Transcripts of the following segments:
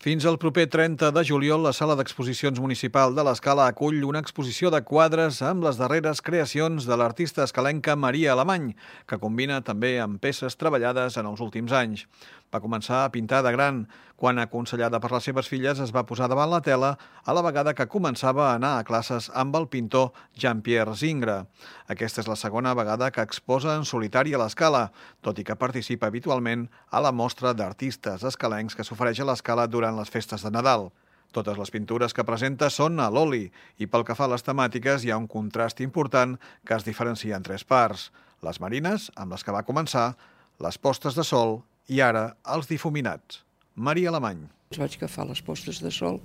Fins al proper 30 de juliol, la Sala d'Exposicions Municipal de l'Escala acull una exposició de quadres amb les darreres creacions de l'artista escalenca Maria Alemany, que combina també amb peces treballades en els últims anys. Va començar a pintar de gran, quan, aconsellada per les seves filles, es va posar davant la tela a la vegada que començava a anar a classes amb el pintor Jean-Pierre Zingre. Aquesta és la segona vegada que exposa en solitari a l'Escala, tot i que participa habitualment a la mostra d'artistes escalencs que s'ofereix a l'Escala durant les festes de Nadal. Totes les pintures que presenta són a l'oli i pel que fa a les temàtiques hi ha un contrast important que es diferencia en tres parts: les marines, amb les que va començar, les postes de sol i ara els difuminats. Maria Alemany. Vaig agafar les postes de sol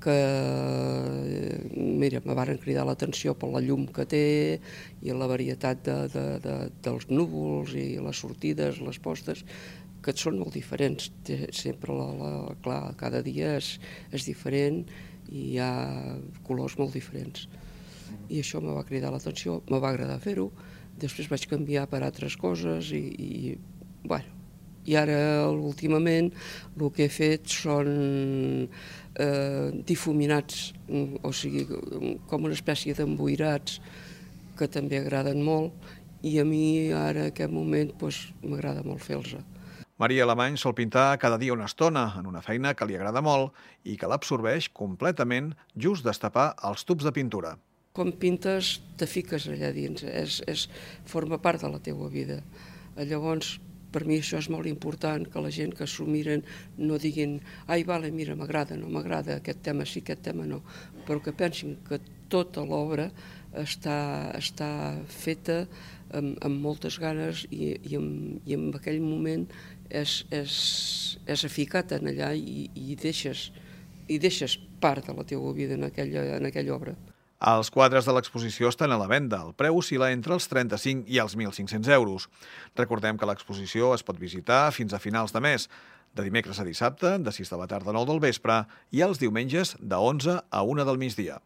que, mira, me varen cridar l'atenció per la llum que té i la varietat dels núvols i les sortides, les postes, que són molt diferents. Sempre, clar, cada dia és diferent i hi ha colors molt diferents. I això me va cridar l'atenció, me va agradar fer-ho. Després vaig canviar per altres coses bueno, i ara, últimament, el que he fet són difuminats, o sigui, com una espècie d'emboirats que també agraden molt, i a mi ara, en aquest moment, m'agrada molt fer-los. Maria Alemany sol pintar cada dia una estona, en una feina que li agrada molt i que l'absorbeix completament just destapar els tubs de pintura. Quan pintes, te fiques allà dins, forma part de la teua vida. Llavors, per mi això és molt important, que la gent que s'ho miren no diguin «Ai, vale, mira, m'agrada, no m'agrada, aquest tema sí, aquest tema no», però que pensin que tota l'obra està feta amb moltes ganes i en aquell moment és aficat en allà i deixes part de la teua vida en aquella obra. Els quadres de l'exposició estan a la venda. El preu oscil·la entre els 35 i els 1.500 euros. Recordem que l'exposició es pot visitar fins a finals de mes, de dimecres a dissabte, de 6 de la tarda a 9 del vespre, i els diumenges de 11 a 1 del migdia.